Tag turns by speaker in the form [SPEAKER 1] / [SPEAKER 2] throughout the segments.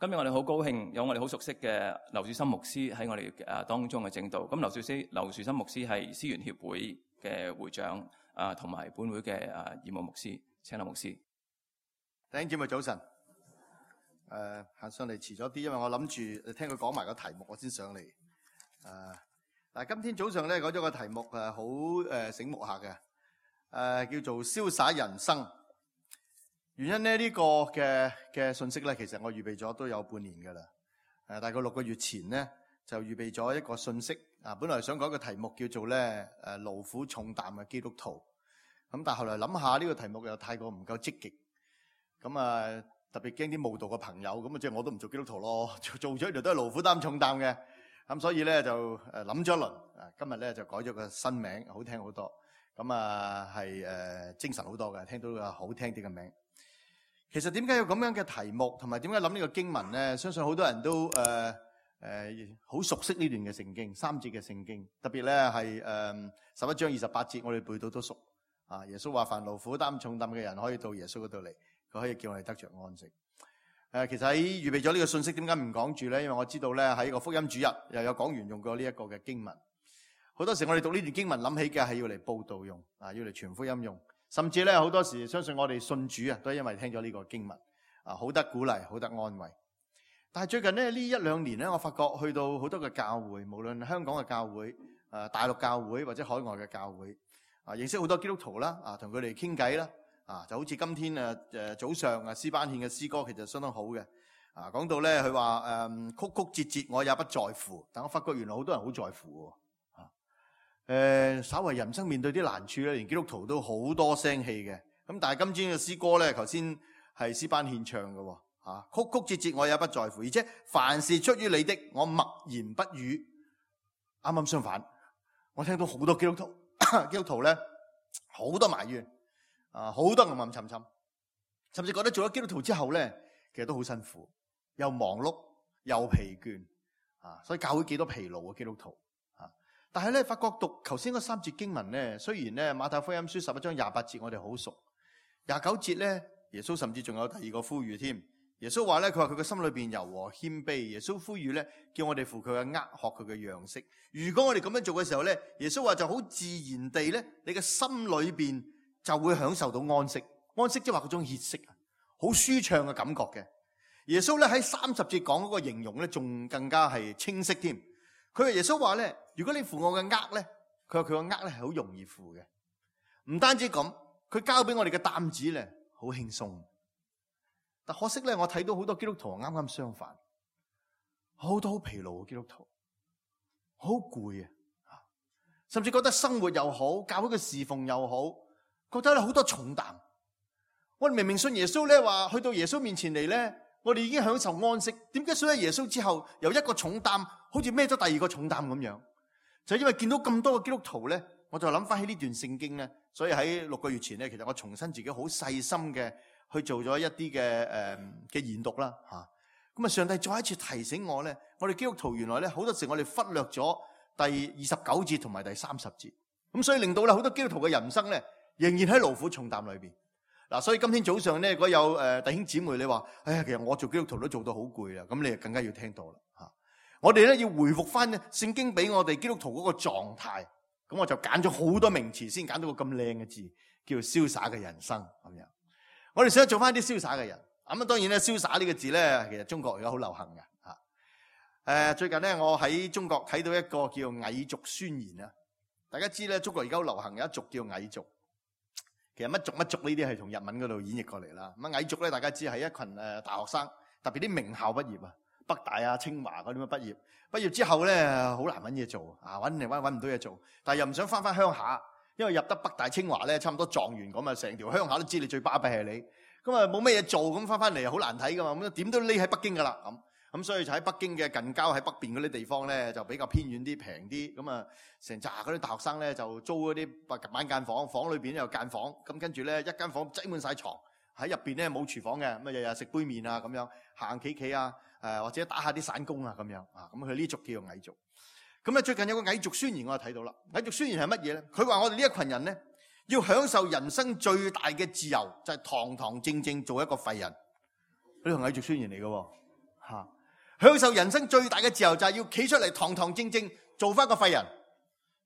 [SPEAKER 1] 今日我哋好高興有我哋好熟悉嘅劉樹森牧師喺我哋當中嘅證道。咁劉樹森牧師係思源協會嘅會長同埋本會嘅義務牧師，請劉牧師。
[SPEAKER 2] 弟兄姊妹早晨。行上嚟遲咗啲，因為我諗住聽佢講埋個題目，我先上嚟。今天早上咧講咗個題目好醒目下嘅，叫做瀟灑人生。原因咧呢個嘅信息咧，其實我預備咗都有半年噶啦。大概6個月前咧就預備咗一個信息。本來想講個題目叫做咧勞苦重擔嘅基督徒。咁但係後來諗下呢個題目又太過唔夠積極。咁特別驚啲慕道嘅朋友，咁即係我都唔做基督徒咯，做咗呢度都係勞苦擔重擔嘅。咁所以咧就諗咗一輪。今日咧就改咗個新名，好聽好多。咁係精神好多嘅，聽到個好聽啲嘅名。其實點解有咁樣嘅題目，同埋點解諗呢個經文咧？相信好多人都好熟悉呢段嘅聖經，3節嘅聖經，特別咧係11章28節，我哋背到都熟。耶穌話：凡勞苦擔重擔嘅人，可以到耶穌嗰度嚟，佢可以叫我哋得着安息。其實喺預備咗呢個信息，點解唔講住咧？因為我知道咧喺個福音主日又有講員用過呢一個嘅經文。好多時我哋讀呢段經文諗起嘅係要嚟佈道用，要嚟傳福音用。甚至咧好多時相信我哋信主都係因為聽咗呢個經文，好得鼓勵，好得安慰。但係最近呢1-2年咧，我發覺去到好多嘅教會，無論香港嘅教會、大陸教會或者海外嘅教會，認識好多基督徒啦，同佢哋傾偈啦，就好似今天早上詩班獻嘅詩歌，其實相當好嘅。講到咧佢話曲曲折折我也不在乎，但我發覺原來好多人好在乎。稍為人生面對啲難處咧，連基督徒都好多聲氣嘅。咁但係今天嘅詩歌咧，頭先係詩班獻唱嘅，曲曲折折我也不在乎，而且凡是出於你的，我默然不語。啱啱相反，我聽到好多基督徒咧，好多埋怨，好多暗暗沉沉，甚至覺得做咗基督徒之後咧，其實都好辛苦，又忙碌又疲倦，所以教會幾多疲勞嘅基督徒。但係咧，發覺讀頭先嗰3節經文咧，雖然咧馬太福音書11章28節我哋好熟，29節咧耶穌甚至仲有第二個呼籲添。耶穌話咧，佢話佢嘅心裏邊柔和謙卑。耶穌呼籲咧，叫我哋負佢嘅軛，學佢嘅樣式。如果我哋咁樣做嘅時候咧，耶穌話就好自然地咧，你嘅心裏邊就會享受到安息。安息即係話嗰種歇息，好舒暢嘅感覺嘅。耶穌咧喺30節講嗰個形容咧，仲更加係清晰添。佢話耶穌話咧，如果你負我嘅軛咧，佢話佢個軛咧係好容易負嘅。唔單止咁，佢交俾我哋嘅擔子咧好輕鬆。但可惜咧，我睇到好多基督徒啱啱相反，好多好疲勞嘅基督徒，好攰啊，甚至覺得生活又好，教會嘅侍奉又好，覺得咧好多重擔。我哋明明信耶穌咧，話去到耶穌面前嚟咧，我哋已經享受安息。點解信咗耶穌之後，由一個重擔好似孭咗第二個重擔咁樣？就因為見到咁多嘅基督徒咧，我就諗翻起呢段聖經咧。所以喺6個月前咧，其實我重新自己好細心嘅去做咗一啲嘅研讀啦嚇。咁啊，上帝再一次提醒我咧，我哋基督徒原來咧好多時我哋忽略咗第29節同埋第30節，咁所以令到咧好多基督徒嘅人生咧仍然喺勞苦重擔裏邊。嗱，所以今天早上咧，如果有弟兄姊妹你話，哎呀，其實我做基督徒都做到好攰啦，咁你就更加要聽到啦嚇。我哋咧要回復翻聖經俾我哋基督徒嗰個狀態，咁我就揀咗好多名詞，先揀到個咁靚嘅字，叫做瀟灑嘅人生咁樣。我哋想做翻啲瀟灑嘅人，咁啊當然咧，瀟灑呢個字咧，其實中國而家好流行嘅嚇。最近咧，我喺中國睇到一個叫蟻族宣言啊。大家知咧，中國而家好流行有一族叫蟻族。其實乜族呢啲係從日文嗰度演繹過嚟啦。咁蟻族咧，大家知係一群大學生，特別啲名校畢業啊，北大啊、清華嗰啲咁畢業之後咧，好難揾嘢做啊，揾唔到嘢做，但係又唔想翻鄉下，因為入得北大清華咧，差唔多狀元咁啊，成條鄉下都知你最巴閉係你，咁啊冇咩嘢做，咁翻嚟好難睇噶嘛，咁點都匿喺北京噶啦咁所以就喺北京嘅近郊喺北邊嗰啲地方咧，就比較偏遠啲、平啲，咁啊成扎嗰啲大學生咧就租嗰啲板間房，房裏邊有間房，咁跟住咧一間房擠滿晒床，喺入邊咧冇廚房嘅，咁啊日日食杯麵啊咁樣，行企啊，或者打下啲散工啊咁樣啊，咁佢呢族叫做蟻族。咁咧最近有個蟻族宣言我就睇到啦，蟻族宣言係乜嘢咧？佢話我哋呢一群人咧要享受人生最大嘅自由，就係堂堂正正做一個廢人。呢個蟻族宣言嚟嘅喎。享受人生最大嘅自由就係要企出嚟堂堂正正做翻個廢人。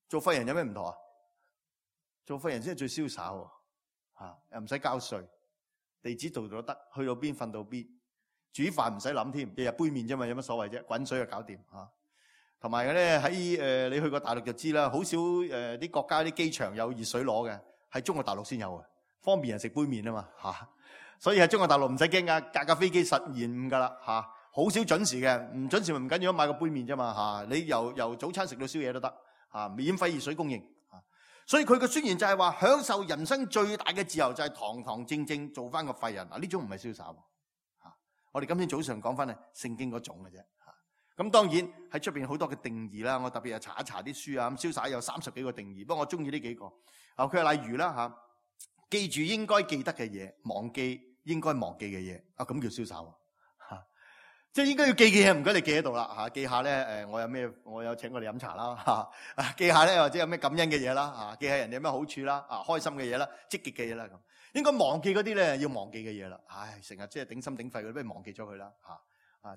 [SPEAKER 2] 做廢人有咩唔同啊？做廢人先係最瀟灑喎，又唔使交稅，地址度到得，去到邊瞓到邊，煮飯唔使諗添，日日杯麵啫嘛，有乜所謂啫？滾水就搞掂嚇。同埋咧喺你去過大陸就知啦，好少啲國家啲機場有熱水攞嘅，喺中國大陸先有嘅，方便人食杯麵啊嘛嚇。所以喺中國大陸唔使驚㗎，架飛機實延誤㗎啦嚇，好少準時嘅，唔準時咪唔緊要，買個杯麵啫嘛嚇。你由早餐食到宵夜都得嚇，免費熱水供應。所以佢嘅宣言就係話，享受人生最大嘅自由就係堂堂正正做翻個廢人。呢種唔係瀟灑。我哋今天早上講翻係聖經嗰種嘅啫。咁當然喺出邊好多嘅定義啦，我特別係查一查啲書啊。咁瀟灑有30幾個定義，不過我中意呢幾個。佢係例如啦記住應該記得嘅嘢，忘記應該忘記嘅嘢。咁叫瀟灑。即係應該要記嘅嘢，唔該你記喺度啦記下咧我有請我哋飲茶啦記下咧或者有咩感恩嘅嘢啦記下人哋有咩好處啦開心嘅嘢啦，積極嘅嘢啦咁。應該忘記嗰啲咧要忘記嘅嘢啦，成日即係頂心頂肺嗰啲，不如忘記咗佢啦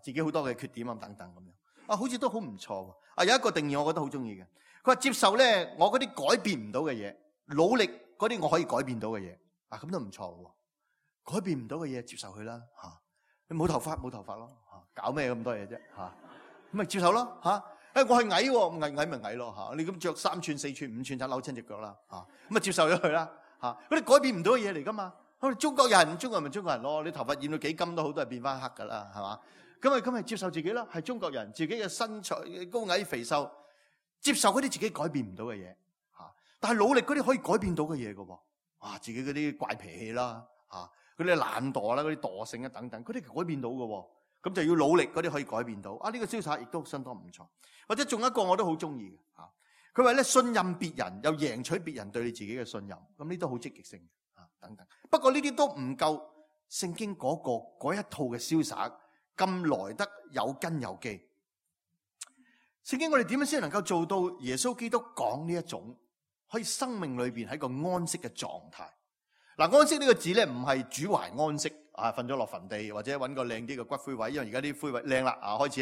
[SPEAKER 2] 自己好多嘅缺點等等咁樣好似都好唔錯喎。有一個定義我覺得好中意嘅，佢話接受咧我嗰啲改變唔到嘅嘢，努力嗰啲我可以改變到嘅嘢咁都唔錯喎。改變唔到嘅嘢接受佢啦你冇頭髮咯搞咩咁多嘢啫咁咪接受咯我係矮喎，矮咪矮咯你咁着3寸4寸5寸就扭親隻腳啦咁咪接受咗佢啦嗰啲改變唔到嘅嘢嚟噶嘛。我哋中國人咪中國人咯，你頭髮染到幾金都好，都係變翻黑噶啦，係嘛？咁咪接受自己啦，係中國人，自己嘅身材高矮肥瘦，接受嗰啲自己改變唔到嘅嘢但係努力嗰啲可以改變到嘅嘢噶喎自己嗰啲怪脾氣啦嗰啲懶惰啦，嗰啲惰性等等，嗰啲改變到嘅咁就要努力嗰啲可以改變到呢個瀟灑亦都相當唔錯。或者仲有一個我都好中意嘅佢話咧信任別人又贏取別人對你自己嘅信任，咁呢都好積極性等等。不過呢啲都唔夠聖經嗰一套嘅瀟灑咁來得有根有基。聖經我哋點樣先能夠做到耶穌基督講呢一種可以生命裏邊喺個安息嘅狀態？安息呢個字咧唔係主懷安息瞓咗落墳地或者揾個靚啲嘅骨灰位，因為而家啲灰位靚啦開始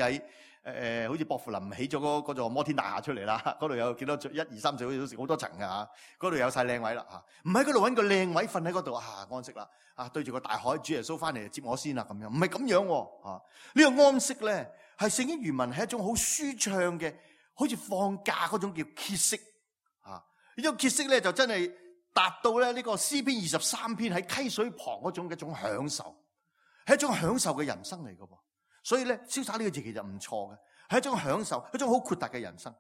[SPEAKER 2] 喺好似薄扶林起咗嗰座摩天大廈出嚟啦，嗰度有幾多1、2、3、4好多層㗎嗰度有晒靚位啦唔喺嗰度揾個靚位瞓喺嗰度安息啦對住個大海，主耶穌翻嚟接我先啦咁樣，唔係咁樣呢個安息咧係聖經原文係一種好舒暢嘅，好似放假嗰種叫歇息呢種歇息咧就真係達到咧呢個詩篇23篇喺溪水旁嗰種嘅一種享受，係一種享受嘅人生嚟㗎。所以咧瀟灑呢個字其實唔錯嘅，係一種享受，一種好豁達嘅人生。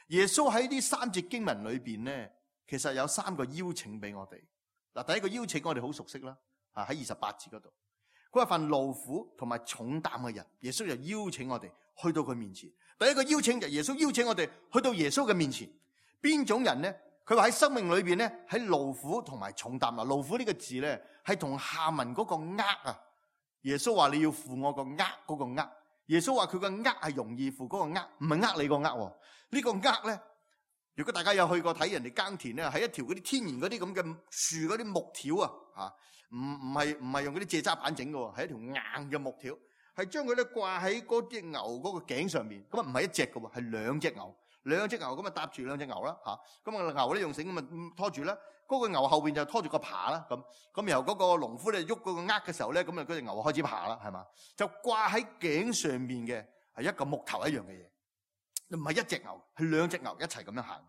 [SPEAKER 2] 耶穌喺呢3節經文裏邊咧，其實有3個邀請俾我哋。第一個邀請我哋好熟悉啦，喺28節嗰度，佢話凡勞苦同埋重擔嘅人，耶穌就邀請我哋去到佢面前。第一個邀請就耶穌邀請我哋去到耶穌嘅面前。邊種人咧？佢話喺生命裏邊咧，喺勞苦同埋重擔。勞苦呢個字咧係同下文嗰個軛耶穌話你要負我個軛嗰個軛。耶穌話佢個軛係容易負嗰個軛，唔係你個軛。呢個軛咧，如果大家有去過睇人哋耕田咧，係一條嗰啲天然嗰啲咁嘅樹嗰啲木條唔係用嗰啲蔗渣板整嘅，係一條硬嘅木條，係將佢咧掛喺嗰隻牛嗰個頸上面。咁唔係一隻嘅喎，係2隻牛。2隻牛咁搭住2隻牛啦咁牛咧用繩咁拖住啦，嗰個牛後邊就拖住個耙啦咁然後嗰個農夫咧喐嗰個軛嘅時候咧，咁嗰隻牛開始爬啦，係嘛？就掛喺頸上面嘅係一個木頭一樣嘅嘢，唔係一隻牛，係2隻牛一齊咁樣行。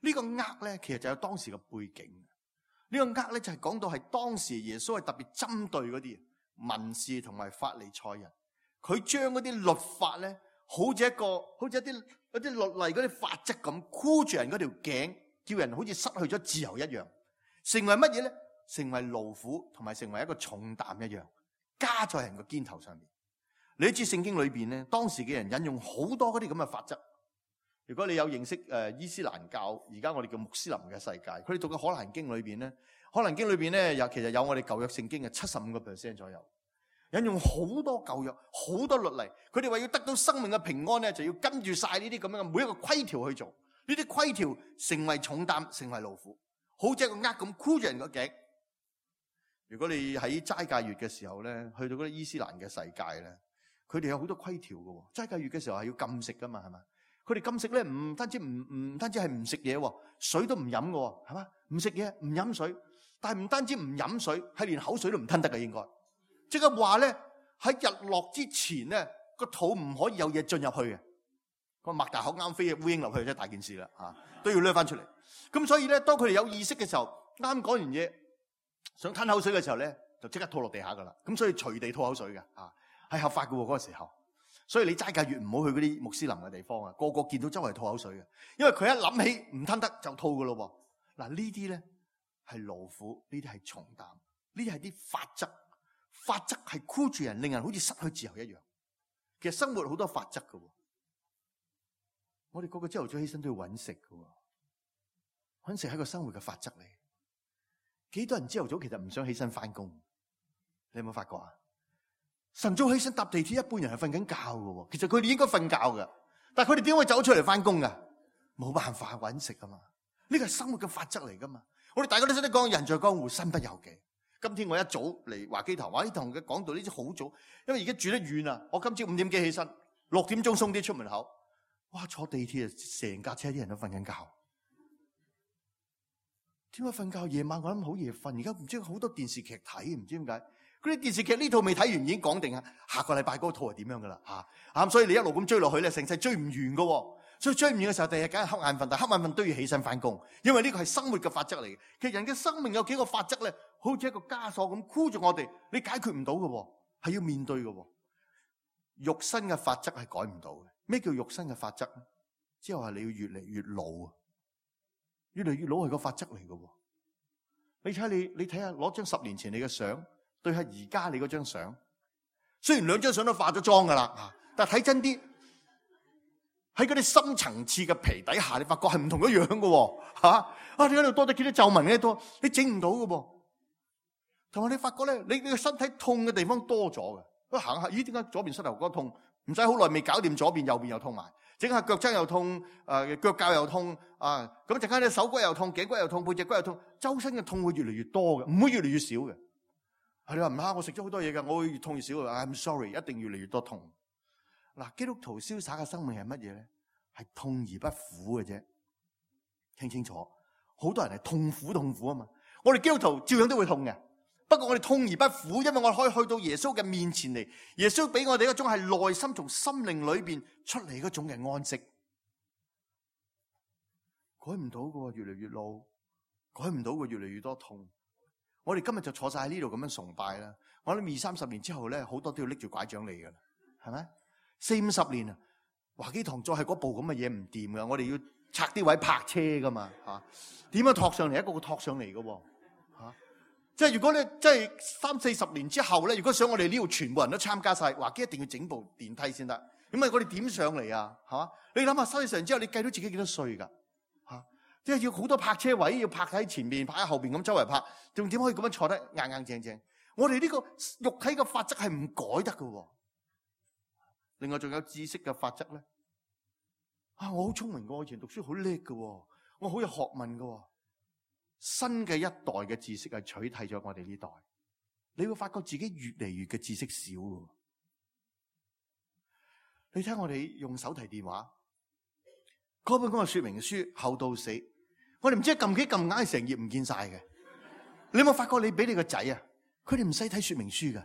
[SPEAKER 2] 呢個軛咧其實就有當時嘅背景。呢個軛咧就係講到係當時耶穌係特別針對嗰啲文士同埋法利賽人，佢將嗰啲律法咧好似一啲律例嗰啲法則咁箍住人嗰條頸，叫人好似失去咗自由一樣，成為乜嘢咧？成為勞苦同埋成為一個重擔一樣，加在人個肩頭上面。你知聖經裏邊咧，當時嘅人引用好多嗰啲咁嘅法則。如果你有認識伊斯蘭教，而家我哋叫穆斯林嘅世界，佢哋讀嘅可蘭經裏邊咧，可蘭經裏邊咧其實有我哋舊約聖經嘅75% 左右。引用好多舊約，好多律例，佢哋話要得到生命嘅平安咧，就要跟住晒呢啲咁樣嘅每一個規條去做。呢啲規條成為重擔，成為勞苦，好似一個軛咁箍住人個頸。如果你喺齋戒月嘅時候咧，去到嗰啲伊斯蘭嘅世界咧，佢哋有好多規條嘅，齋戒月嘅時候係要禁食噶嘛，係嘛？佢哋禁食咧，唔單止係唔食嘢，水都唔飲嘅，係嘛？唔食嘢，唔飲水，但係唔單止唔飲水，係連口水都唔吞得嘅，應該。即係話咧，喺日落之前咧，個肚唔可以有嘢進入去嘅。個擘大口啱飛嘅烏蠅落去，真係大件事啦，都要掠翻出嚟。咁所以咧，當佢哋有意識嘅時候，啱講完嘢，想吞口水嘅時候咧，就即刻吐落地下噶啦。咁所以隨地吐口水嘅，係合法嘅嗰個時候。所以你齋戒月唔好去嗰啲穆斯林嘅地方啊，個個見到周圍吐口水嘅，因為佢一諗起唔吞得就吐噶咯喎。嗱，呢啲咧係勞苦，呢啲係重擔，呢啲係啲法則，法則係箍住人，令人好似失去自由一樣。其實生活好多法則噶，我哋個個朝頭早起身都要揾食噶，揾食係個生活嘅法則嚟。幾多人朝頭早其實唔想起身翻工？你有冇發覺啊？晨早起身搭地鐵，一般人係瞓緊覺嘅，其實佢哋應該瞓覺嘅，但係佢哋點會走出嚟翻工噶？冇辦法揾食啊嘛，呢個係生活嘅法則嚟噶嘛。我哋大家都識得講，人在江湖身不由己。今天我一早嚟華基堂，華基堂嘅講道呢啲好早，因為而家住得遠啊。我今朝5點幾起身，6點鐘鬆啲出門口，哇！坐地鐵啊，成架車啲人都瞓緊覺。點解瞓覺？夜晚我諗好夜瞓，而家唔知好多電視劇睇，唔知點解。嗰啲電視劇呢套未睇完已經講定啊，下個禮拜嗰套係點樣噶啦嚇，所以你一路咁追落去咧，成世追唔完噶，所以追唔完嘅時候，第日梗係瞌眼瞓，但係瞌眼瞓都要起身翻工，因為呢個係生活嘅法則嚟嘅。其實人嘅生命有幾個法則咧，好似一個枷鎖咁箍住我哋，你解決唔到嘅，係要面對嘅。肉身嘅法則係改唔到嘅。咩叫肉身嘅法則咧？即係話你要越嚟越老啊，越嚟越老係個法則嚟嘅。你睇下攞張10年前你嘅相，對下而家你嗰張相，雖然兩張相都化咗妝噶啦，但係睇真啲，喺嗰啲深層次嘅皮底下，你發覺係唔同嘅樣嘅，你喺度多咗幾多皺紋嘅多，你整唔到嘅噃。同埋你發覺咧，你個身體痛嘅地方多咗嘅，行下，咦？點解左邊膝頭哥痛？唔使好耐未搞掂，左邊右邊又痛埋，整下腳踭又痛，腳臼又痛，咁陣間你手骨又痛，頸骨又痛，背脊骨又痛，周身嘅痛會越嚟越多嘅，唔會越嚟越少嘅。你話唔啱，我食咗好多嘢㗎，我會越痛越少。I'm sorry， 一定越嚟越多痛。嗱，基督徒瀟灑嘅生命係乜嘢咧？係痛而不苦嘅啫。聽清楚，好多人係痛苦啊嘛。我哋基督徒照樣都會痛嘅，不過我哋痛而不苦，因為我哋可以去到耶穌嘅面前嚟。耶穌俾我哋一種係內心從心靈裏邊出嚟嗰種嘅安息。改唔到嘅，越嚟越老，改唔到嘅，越嚟越多痛。我哋今日就坐晒喺呢度咁樣崇拜啦。我諗20-30年之後咧，好多都要拎住拐杖嚟噶啦，係咪？40-50年啊，華基堂再係嗰部咁嘅嘢唔掂噶，我哋要拆啲位泊車噶嘛，點樣托上嚟？一個個托上嚟噶，即係如果咧，即係30-40年之後咧，如果想我哋呢度全部人都參加晒，華基一定要整部電梯先得。咁啊，我哋點上嚟啊？係嘛？你諗下30年之後，你計到自己幾多歲噶？即係要好多泊車位，要泊喺前面，泊喺後邊咁周圍泊，仲點可以咁樣坐得硬硬正正？我哋呢個肉體嘅法則係唔改得嘅。另外仲有知識嘅法則咧。我好聰明嘅，我以前讀書好叻嘅，我好有學問嘅。新嘅一代嘅知識係取替咗我哋呢代，你會發覺自己越嚟越嘅知識少。你睇我哋用手提電話嗰本講嘅說明書厚到死。我哋唔知撳幾撳硬，成頁唔見晒嘅。你有冇發覺你俾你個仔啊？佢哋唔使睇說明書噶，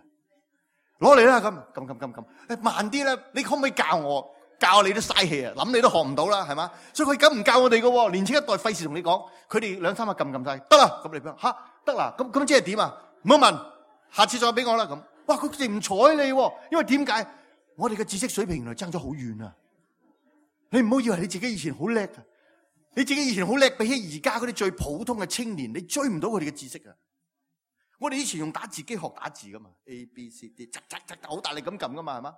[SPEAKER 2] 攞嚟啦咁撳，慢啲啦。你可唔可以教我？教你都嘥氣啊！諗你都學唔到啦，係嘛？所以佢咁唔教我哋噶。年青一代費事同你講，佢哋2-3下撳晒得啦。咁你講吓得啦？咁即係點啊？唔好問，下次再俾我啦。咁哇，佢哋唔睬你，因為點解？我哋嘅知識水平原來爭咗好遠啊！你唔好以為你自己以前好叻啊！你自己以前好叻，比起而家嗰啲最普通嘅青年，你追唔到佢哋嘅知識啊！我哋以前用打字機學打字噶嘛 ，A B C D， 好大力咁撳噶嘛，係嘛？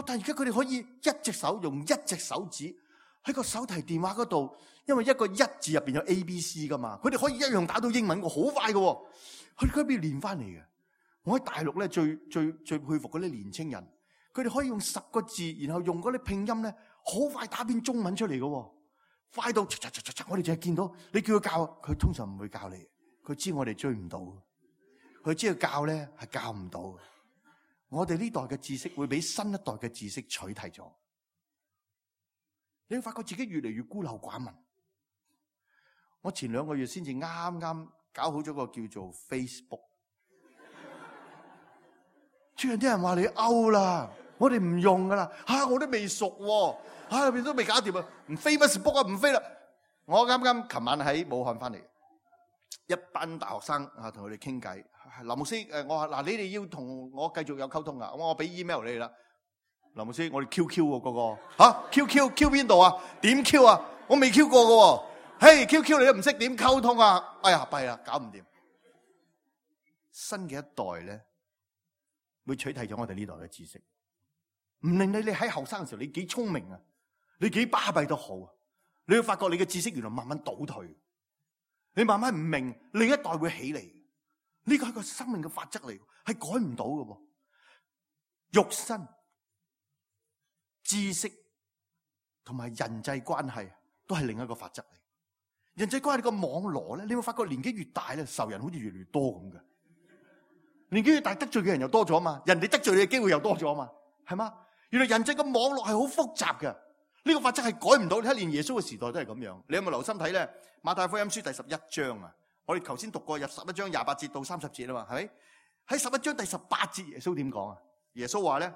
[SPEAKER 2] 但係而家佢哋可以一隻手用一隻手指喺個手提電話嗰度，因為一個一字入邊有 A B C 噶嘛，佢哋可以一樣打到英文，好快噶。佢哋嗰邊練翻嚟嘅。我喺大陸咧最佩服嗰啲年青人，佢哋可以用10個字，然後用嗰啲拼音咧，好快打篇中文出嚟噶。快到，我哋淨係見到你叫佢教，佢通常唔會教你。佢知我哋追唔到，佢知道教咧係教唔到。我哋呢代嘅知識會俾新一代嘅知識取替咗。你會發覺自己越嚟越孤陋寡聞。我前2個月先至啱啱搞好咗個叫做 Facebook， 最近啲人話你 out 啦，我哋唔用噶啦，我都未熟喎，入邊都未搞掂啊，唔飛乜事 book 啊，唔飛啦。我啱啱琴晚喺武漢翻嚟，一班大學生同佢哋傾偈。林牧師，我話嗱，你哋要同我繼續有溝通啊，我俾 email 你啦。林牧師，我哋 QQ 喎嗰個QQ 邊度啊？點 Q 啊？我未 Q 過嘅喎。QQ 你都唔識點溝通啊？哎呀，弊啦，搞唔掂。新嘅一代咧，會取替咗我哋呢代嘅知識，唔令你喺後生嘅時候你幾聰明啊，你幾巴閉都好啊，你會發覺你嘅知識原來慢慢倒退，你慢慢唔明，另一代會起嚟。呢個係個生命嘅法則嚟，係改唔到嘅。肉身、知識同埋人際關係都係另一個法則嚟。人際關係個網絡咧，你會發覺年紀越大咧，仇人好似越嚟越多咁嘅。年紀越大，得罪嘅人又多咗嘛，人哋得罪你嘅機會又多咗嘛，係嘛？原來人際嘅網絡係好複雜嘅，呢個法則係改唔到。你睇連耶穌嘅時代都係咁樣。你有冇留心睇咧？馬太福音書第11章啊，我哋頭先讀過入11章28節到30節啊嘛，係咪？喺11章第18節，耶穌點講啊？耶穌話咧，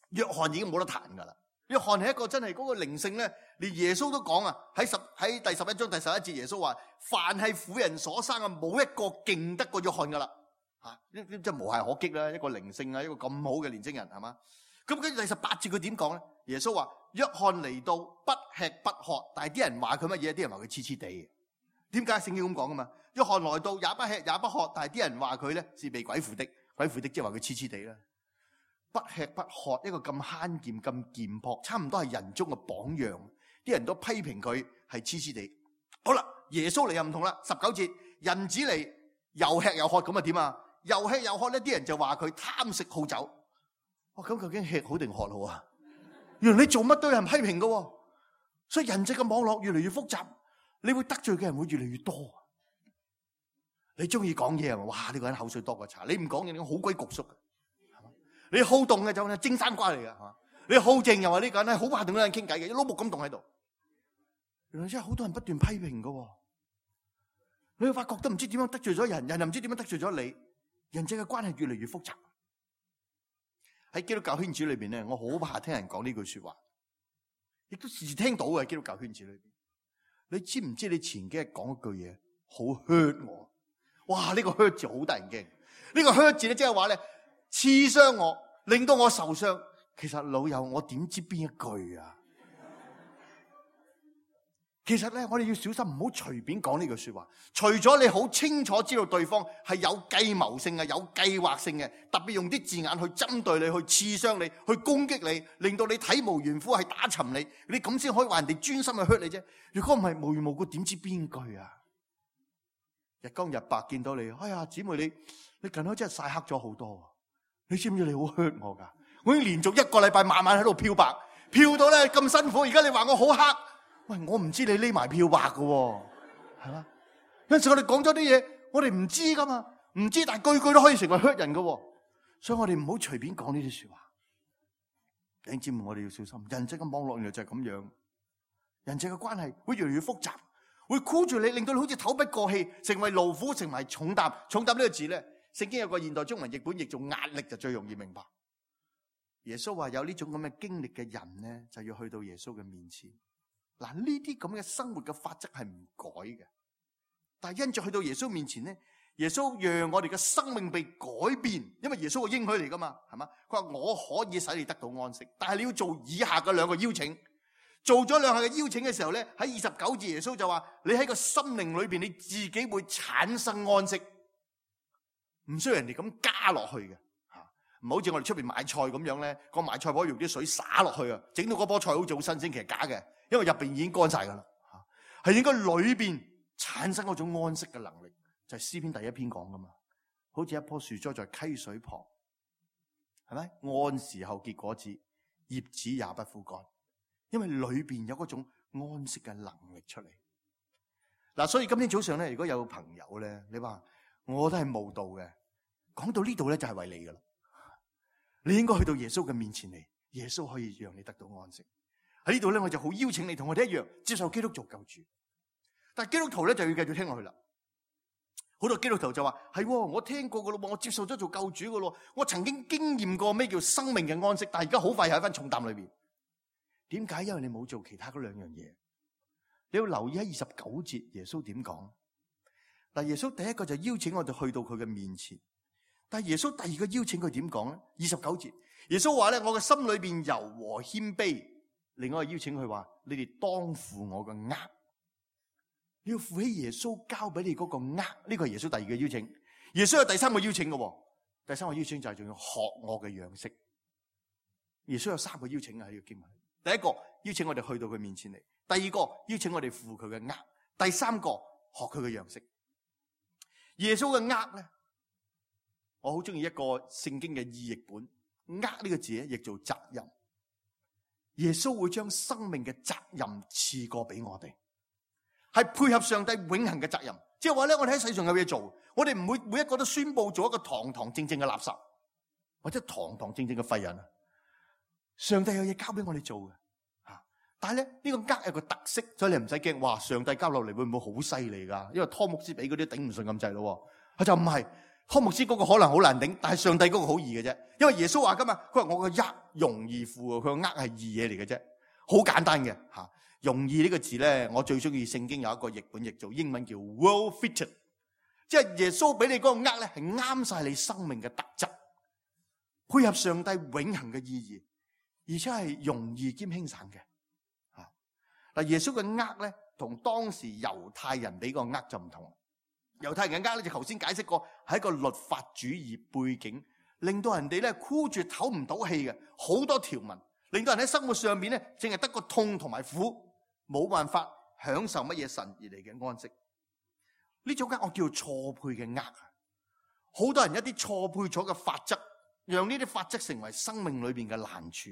[SPEAKER 2] 約翰已經冇得彈噶啦。約翰係一個真係嗰個靈性咧，連耶穌都講啊。喺第11章第11節，耶穌話：凡係婦人所生啊，冇一個勁得過約翰噶啦。即係無懈可擊啦，一個靈性啊，一個咁好嘅年青人係嘛？咁跟住第18節佢點講咧？耶穌話：約翰嚟到不吃不喝，但係啲人話佢乜嘢？啲人話佢黐黐地。點解聖經咁講噶嘛？約翰來到也不吃也不喝，但係啲人話佢咧是被鬼附的，鬼附的即係話佢黐黐地啦。不吃不喝，一個咁慳儉咁儉樸，差唔多係人中嘅榜樣。啲人都批評佢係黐黐地。好啦，耶穌嚟又唔同啦。19節，人子嚟又吃又喝，咁啊點啊？又吃又喝呢，啲人就話佢貪食好酒。咁究竟吃好定喝好啊？原來你做乜都有人批評㗎，所以人際嘅網絡越嚟越複雜，你會得罪嘅人會越嚟越多。你中意講嘢啊？哇！呢個人口水多過茶。你唔講嘢，你好鬼焗縮。你好動嘅就係蒸生瓜嚟嘅，係嘛？你好靜又話呢個人咧好怕同嗰人傾偈嘅，一碌木咁動喺度。原來真係好多人不斷批評㗎。你會發覺都唔知點樣得罪咗人，人又唔知點樣得罪咗你。人際嘅關係越嚟越複雜。喺基督教圈子裏邊咧，我好怕聽人講呢句說話，亦都時時聽到嘅。基督教圈子裏邊，你知唔知你前幾日講一句嘢好 hurt 我？哇！呢個 hurt 字好得人驚。呢個 hurt 字咧，即係話咧刺傷我，令到我受傷。其實老友，我點知邊一句啊？其實咧，我哋要小心，唔好隨便講呢句說話。除咗你好清楚知道對方係有計謀性嘅、有計劃性嘅，特別用啲字眼去針對你、去刺傷你、去攻擊你，令到你體無完膚，係打沉你，你咁先可以話人哋專心去 hurt 你啫。如果唔係無緣無故，點知邊句啊？日光日白見到你，哎呀，姊妹你近排真係曬黑咗好多。你知唔知你好 hurt 我噶？我已經連續1個禮拜晚晚喺度漂白，漂到咧咁辛苦。而家你話我好黑。喂，我唔知你匿埋漂白㗎喎，係嘛？有陣時我哋講咗啲嘢，我哋唔知噶嘛，唔知，但係句句都可以成為 hurt 人㗎喎。所以我哋唔好隨便講呢啲說話。弟兄姊妹，我哋要小心，人際嘅網絡原來就係咁樣，人際嘅關係會越嚟越複雜，會箍住你，令到你好似透不過氣，成為勞苦，成為重擔。重擔呢個字咧，聖經有個現代中文譯本譯做壓力，就最容易明白。耶穌話有呢種咁嘅經歷嘅人咧，就要去到耶穌嘅面前。嗱，呢啲咁嘅生活嘅法則係唔改嘅，但係因着去到耶穌面前咧，耶穌讓我哋嘅生命被改變，因為耶穌個應許嚟噶嘛，係嘛？佢話我可以使你得到安息，但係你要做以下嘅2個邀請。做咗2下嘅邀請嘅時候咧，喺29節耶穌就話：你喺個心靈裏邊，你自己會產生安息，唔需要人哋咁加落去嘅。唔好似我哋出邊買菜咁樣咧，個買菜婆用啲水灑落去啊，整到嗰棵菜好似好新鮮，其實假嘅。因為入邊已經乾晒噶啦，係應該裏邊產生嗰種安息嘅能力，就係詩篇第1篇講噶嘛。好似一棵樹栽在溪水旁，係咪？按時候結果子，葉子也不枯乾，因為裏邊有嗰種安息嘅能力出嚟。嗱，所以今天早上咧，如果有朋友咧，你話我都係慕道嘅，講到呢度咧就係為你噶啦。你應該去到耶穌嘅面前嚟，耶穌可以讓你得到安息。喺呢度咧，我就好邀請你同我哋一樣接受基督做救主。但係基督徒咧就要繼續聽落去啦。好多基督徒就話係，我聽過噶咯，我接受咗做救主噶咯，我曾經經驗過咩叫生命嘅安息，但係而家好快又喺翻重擔裏邊。點解？因為你冇做其他嗰兩樣嘢。你要留意喺29節耶穌點講。嗱，耶穌第一個就邀請我哋去到佢嘅面前，但係耶穌第二個邀請佢點講咧？29節耶穌話咧，我嘅心裏邊柔和謙卑。另外一個邀請佢話，你哋當負我嘅軛。你要負起耶穌交俾你嗰個軛，呢個係耶穌第二個邀請。耶穌有第三個邀請嘅，第三個邀請就係仲要學我嘅樣式。耶穌有三個邀請喺呢個經文。第一個邀請我哋去到佢面前嚟，第二個邀請我哋負佢嘅軛，第三個學佢嘅樣式。耶穌嘅軛咧，我好中意一個聖經嘅意譯本，軛呢個字咧譯做責任。耶穌會將生命嘅責任賜過俾我哋，係配合上帝永恆嘅責任。即係話咧，我哋喺世上有嘢做，我哋唔會每一個都宣布做一個堂堂正正嘅垃圾，或者堂堂正正嘅廢人。上帝有嘢交俾我哋做嘅，但係咧呢個軛有個特色，所以你唔使驚。哇，上帝交落嚟會唔會好犀利噶？因為湯牧師俾嗰啲頂唔順咁滯咯。佢就唔係，湯牧師嗰個可能好難頂，但係上帝嗰個好易嘅啫。因為耶穌話噶嘛，佢話我個軛容易負，佢個軛係易嘢嚟嘅啫，好簡單嘅吓。容易呢個字咧，我最中意聖經有一個譯本譯做英文叫 well fitted， 即係耶穌俾你嗰個軛咧係啱晒你生命嘅特質，配合上帝永恆嘅意義。而且係容易兼輕省嘅，嗱，耶穌嘅軛咧，同當時猶太人俾個軛就唔同。猶太人嘅軛咧，就頭先解釋過，係一個律法主義背景，令到人哋咧箍住唞唔到氣嘅，好多條文，令到人喺生活上面咧，淨係得個痛同埋苦，冇辦法享受乜嘢神而嚟嘅安息。呢種軛我叫錯配嘅軛，好多人一啲錯配咗嘅法則，讓呢啲法則成為生命裏邊嘅難處。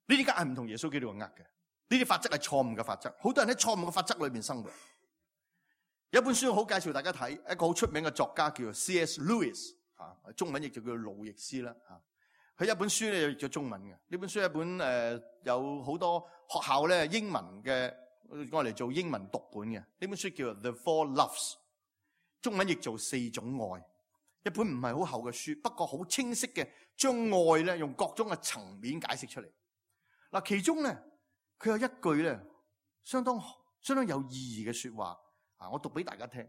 [SPEAKER 2] 呢啲軛係唔同耶穌基督嘅軛嘅，呢啲法則係錯誤嘅法則。好多人喺錯誤嘅法則裏面生活。有一本書好介紹大家睇，一個好出名嘅作家叫做 C.S. Lewis， 中文譯就叫路易斯啦。佢一本書咧譯咗中文嘅，呢本書係一本有好多學校咧英文嘅我嚟做英文讀本嘅。呢本書叫做 The Four Loves， 中文譯做四種愛。一本唔係好厚嘅書，不過好清晰嘅將愛咧用各種嘅層面解釋出嚟。嗱，其中咧，佢有一句咧，相當有意義嘅說話，我讀俾大家聽。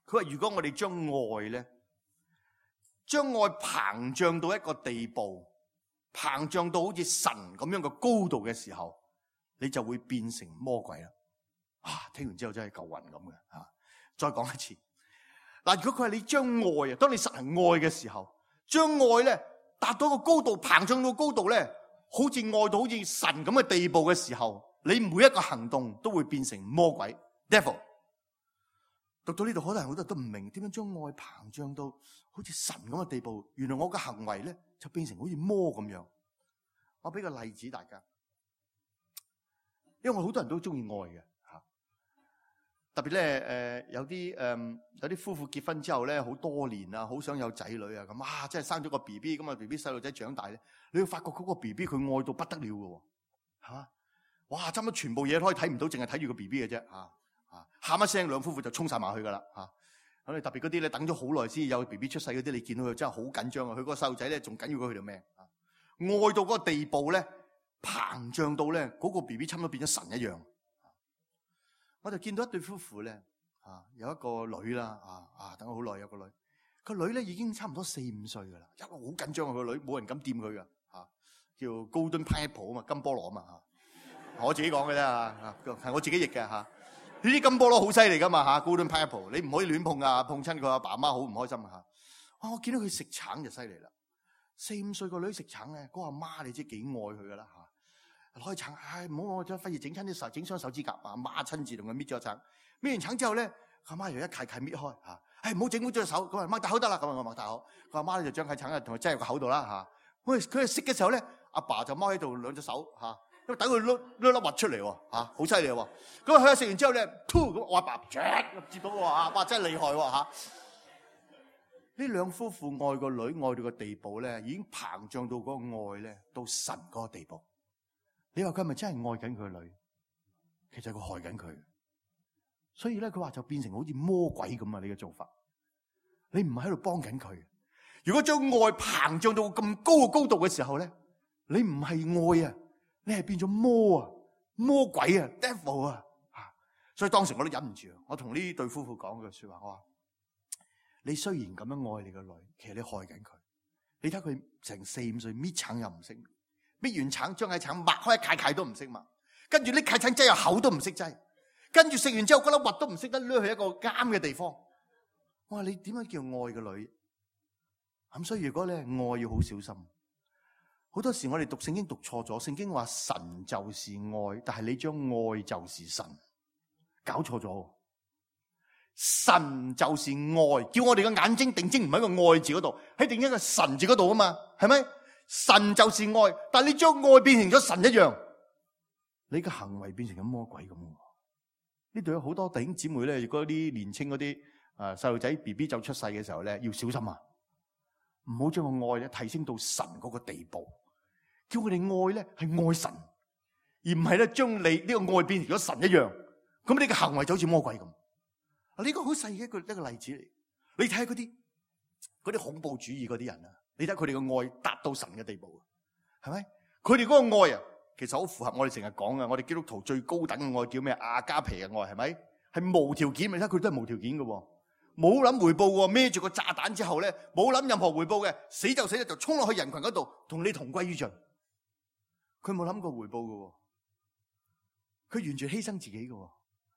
[SPEAKER 2] 佢話：如果我哋將愛咧，將愛膨脹到一個地步，膨脹到好似神咁樣嘅高度嘅時候，你就會變成魔鬼啦。聽完之後真係夠暈咁嘅。再講一次。嗱，如果佢係你將愛啊，當你實行愛嘅時候，將愛咧達到個高度，膨脹到高度咧，好似愛到好似神咁嘅地步嘅時候，你每一個行動都會變成魔鬼 devil。讀到呢度，可能好多人都唔明點樣將愛膨脹到好似神咁嘅地步。原來我嘅行為咧就變成好似魔咁樣。我俾個例子大家，因為好多人都中意愛嘅吓，特別咧有啲夫婦結婚之後咧好多年啊，好想有仔女啊咁真係生咗個 BB 咁啊 BB 細路仔長大咧，你會發覺嗰個 BB 佢愛到不得了嘅吓，哇差唔多全部嘢都可以睇唔到，淨係睇住個 BB 嘅啫吓。喊一聲，兩夫婦就衝晒埋去噶啦吓。咁你特別嗰啲咧等咗好耐先有 BB 出世嗰啲，你見到佢真係好緊張啊！佢嗰個細路仔咧仲緊要過佢條命啊！愛到嗰個地步咧，膨脹到咧嗰個 BB 差唔多變咗神一樣。我就見到一對夫婦咧有一個女啦等咗好耐有個女，個女咧已經差唔多4-5歲噶啦，一路好緊張啊！個女冇人敢掂佢噶叫 Golden Pineapple 啊嘛，金菠蘿啊嘛我自己講嘅啫係我自己譯嘅吓。呢啲金菠蘿好犀利噶嘛 Golden Pineapple 你唔可以亂碰啊，碰親佢阿爸阿媽好唔開心我見到佢食橙就犀利啦，4-5歲個女食橙咧，嗰個阿媽你知幾愛佢噶啦攞去橙，唔好我再費事整親啲手，整傷手指甲阿媽親自同佢搣咗橙，搣完橙之後咧，阿媽又一契契搣開唔好整污咗隻手，咁擘大口得啦，咁我擘大口，佢阿媽咧就將塊橙同佢擠入個口度啦佢係食嘅時候咧，阿爸就踎喺度兩隻手因為等佢碌粒核出嚟好犀利喎！咁佢食完之後咧，咁我阿爸接到哇真係厲害呢兩夫婦愛個女愛到個地步咧，已經膨脹到嗰個愛咧到神嗰個地步。你話佢係咪真係愛緊佢個女？其實佢害緊佢。所以咧，佢話就變成好似魔鬼咁啊！你嘅做法，你唔係喺度幫緊佢。如果將愛膨脹到咁高嘅高度嘅時候咧，你唔係愛啊，你係變咗魔鬼啊 ，devil 啊！所以當時我都忍唔住，我同呢對夫婦講句說話，我話：你雖然咁樣愛你個女，其實你害緊佢。你睇佢成4-5歲搣橙又唔識，搣完橙將個橙擘開一塊都唔識擘，跟住呢塊橙擠入口都唔識擠。跟住食完之後，嗰粒核都唔識得攞去一個啱嘅地方。我話你點樣叫愛個女？咁所以如果咧愛要好小心。好多時我哋讀聖經讀錯咗，聖經話神就是愛，但係你將愛就是神，搞錯咗。神就是愛，叫我哋嘅眼睛定睛唔喺個愛字嗰度，喺定睛個神字嗰度啊嘛，係咪？神就是愛，但係你將愛變成咗神一樣，你嘅行為變成咗魔鬼咁。呢度有好多弟兄姊妹咧，如果啲年青嗰啲細路仔 BB 就出世嘅時候咧，要小心啊！唔好將個愛咧提升到神嗰個地步，叫佢哋愛咧係愛神，而唔係咧將你呢個愛變成咗神一樣。咁你嘅行為就好似魔鬼咁。呢個好細嘅一個例子嚟。你睇下嗰啲恐怖主義嗰啲人啊，你睇佢哋嘅愛達到神嘅地步，係咪？佢哋嗰個愛啊！其實好符合我哋成日講嘅，我哋基督徒最高等嘅愛叫咩？阿加皮嘅愛，係咪？係無條件，你睇佢都係無條件嘅，冇諗回報嘅，孭住個炸彈之後咧，冇諗任何回報嘅，死就死就衝落去人群嗰度，同你同歸於盡。佢冇諗過回報嘅，佢完全犧牲自己嘅。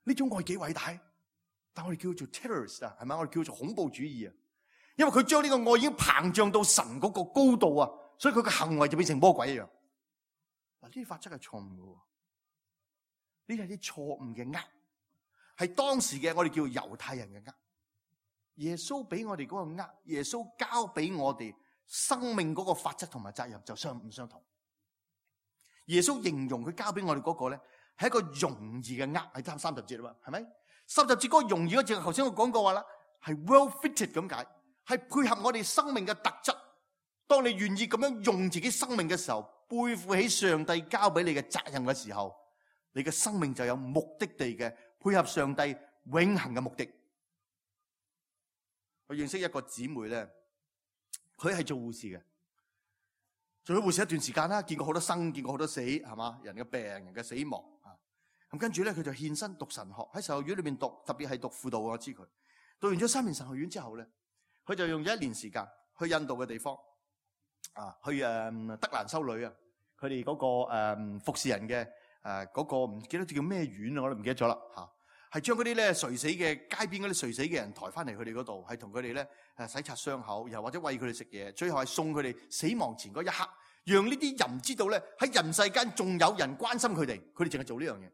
[SPEAKER 2] 呢種愛幾偉大？但我哋叫做 terrorist 啊，係咪？我哋叫做恐怖主義啊，因為佢將呢個愛已經膨脹到神嗰個高度啊，所以佢嘅行為就變成魔鬼一樣。嗱，呢啲法則係錯誤嘅，呢啲係啲錯誤嘅係當時嘅我哋叫猶太人嘅耶穌俾我哋嗰個耶穌交俾我哋生命嗰個法則同埋責任就唔相同。耶穌形容佢交俾我哋嗰個咧係一個容易嘅係啱30節啦嘛，係咪？30節嗰個容易嗰節，頭先我講過話啦，係 well fitted 咁解，係配合我哋生命嘅特質。當你願意咁樣用自己生命嘅時候，背負起上帝交俾你嘅責任嘅時候，你嘅生命就有目的地嘅配合上帝永恆嘅目的。我認識一個姊妹咧，佢係做護士嘅，做咗護士一段時間啦，見過好多生，見過好多死，係嘛？人嘅病，人嘅死亡啊。咁跟住咧，佢就獻身讀神學，喺神學院裏邊讀，特別係讀輔導。我知佢讀完咗3年神學院之後咧，佢就用咗1年時間去印度嘅地方。去德蘭修女啊，佢哋嗰個服侍人嘅嗰個唔記得叫咩院啊，我都唔記得咗啦嚇。係將嗰啲咧垂死嘅街邊嗰啲垂死嘅人抬翻嚟佢哋嗰度，係同佢哋咧洗擦傷口，又或者餵佢哋食嘢，最後係送佢哋死亡前嗰一刻，讓呢啲人知道咧喺人世間仲有人關心佢哋，佢哋淨係做呢樣嘢。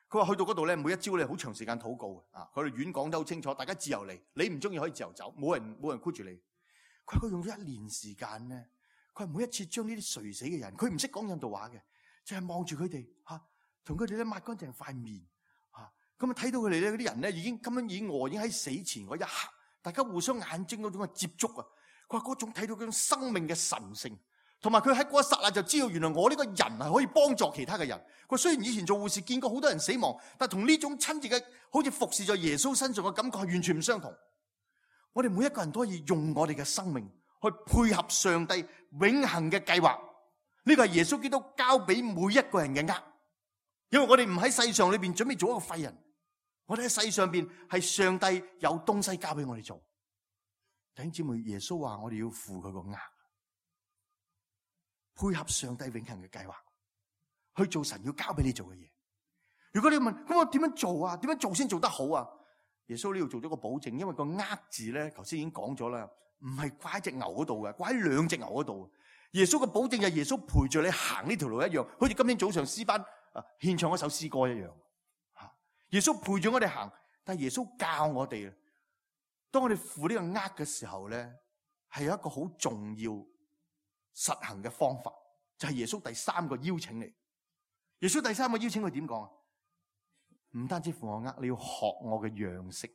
[SPEAKER 2] 佢話去到嗰度咧，每一朝咧好長時間禱告啊，佢哋院講得好清楚，大家自由嚟，你唔中意可以自由走，冇人箍住你。佢用咗1年時間咧。佢每一次將呢啲垂死嘅人，佢唔識講印度話嘅，就係望住佢哋同佢哋咧抹乾淨塊面咁啊，睇到佢哋咧嗰啲人咧已經餓，已經喺死前嗰一刻，大家互相眼睛嗰種嘅接觸啊，佢話嗰種睇到嗰種生命嘅神聖，同埋佢喺嗰一剎那就知道原來我呢個人係可以幫助其他嘅人。佢雖然以前做護士見過好多人死亡，但同呢種親切嘅好似服侍在耶穌身上嘅感覺係完全唔相同。我哋每一個人都可以用我哋嘅生命去配合上帝永恆嘅計劃，呢個係耶穌基督交俾每一個人嘅因為我哋唔喺世上裏邊準備做一個廢人，我哋喺世上邊係上帝有東西交俾我哋做。弟兄姊妹，耶穌話我哋要負佢個配合上帝永恆嘅計劃，去做神要交俾你做嘅嘢。如果你問咁我點樣做啊？點樣做先做得好啊？耶穌呢度做咗個保證，因為個字咧，頭先已經講咗啦。唔係掛喺隻牛嗰度嘅，掛喺2隻牛嗰度。耶穌嘅保證就係耶穌陪住你行呢條路一樣，好似今天早上詩班獻唱嗰首詩歌一樣。耶穌陪住我哋行，但係耶穌教我哋，當我哋負呢個嘅時候咧，係有一個好重要實行嘅方法，就係耶穌第3個邀請嚟。耶穌第3個邀請佢點講啊？唔單止負我你要學我嘅樣式。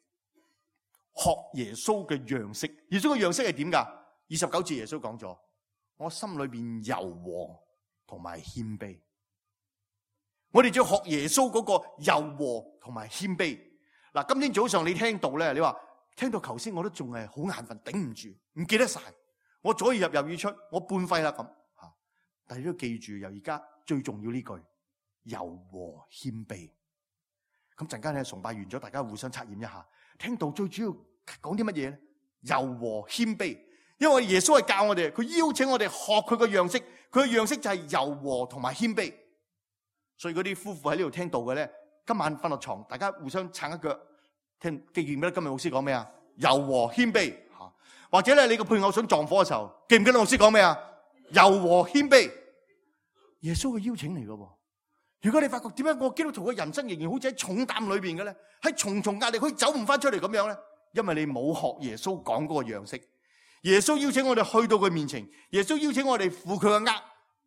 [SPEAKER 2] 學耶穌嘅樣式。耶穌嘅樣式係點噶？29節耶穌講咗，我心裏邊柔和同埋謙卑。我哋就要學耶穌嗰個柔和同埋謙卑。嗱，今天早上你聽到咧，你話聽到頭先我都仲係好眼瞓，頂唔住，唔記得晒。我左耳入右耳出，我半廢啦咁吓。但係你都記住，由而家最重要呢句柔和謙卑。咁陣間咧崇拜完咗，大家互相測驗一下，聽到最主要講啲乜嘢咧？柔和謙卑。因為耶穌係教我哋，佢邀請我哋學佢個樣式，佢嘅樣式就係柔和同埋謙卑。所以嗰啲夫婦喺呢度聽到嘅咧，今晚瞓落床，大家互相撐一腳，聽記唔記得今日牧師講咩啊？柔和謙卑吓，或者咧你個配偶想撞火嘅時候，記唔記得牧師講咩啊？柔和謙卑，耶穌嘅邀請嚟嘅。如果你發覺點解我基督徒嘅人生仍然好似喺重擔裏邊嘅咧，喺重重壓力可以走唔翻出嚟咁樣咧，因為你冇學耶穌講嗰個樣式。耶穌邀請我哋去到佢面前，耶穌邀請我哋負佢嘅軛。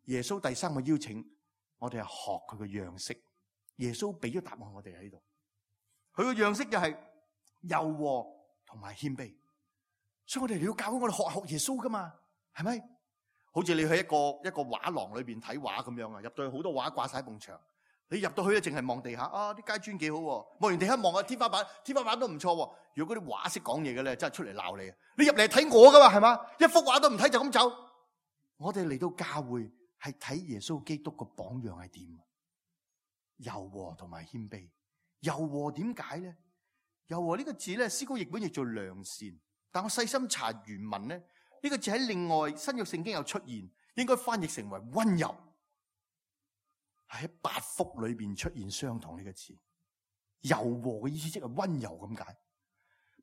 [SPEAKER 2] 耶穌第三個邀請，我哋係學佢嘅樣式。耶穌俾咗答案我哋喺度，佢個樣式就係柔和同埋謙卑。所以我哋要教我哋學耶穌噶嘛，係咪？好似你去一個畫廊裏邊睇畫咁樣啊，入到去好多畫掛晒喺埲牆，你入到去咧淨係望地下啊，啲階磚幾好，望完地下望下天花板，天花板都唔錯。如果嗰啲畫識講嘢嘅咧，真係出嚟鬧你啊！你入嚟睇我噶嘛，係嘛？一幅畫都唔睇就咁走。我哋嚟到教會係睇耶穌基督個榜樣係點，柔和同埋謙卑。柔和點解咧？柔和呢個字咧，詩歌譯本譯做良善，但我細心查原文咧，呢個字喺另外新約聖經有出現，應該翻譯成為溫柔，係喺8福裏邊出現相同呢個字。柔和嘅意思即係溫柔咁解。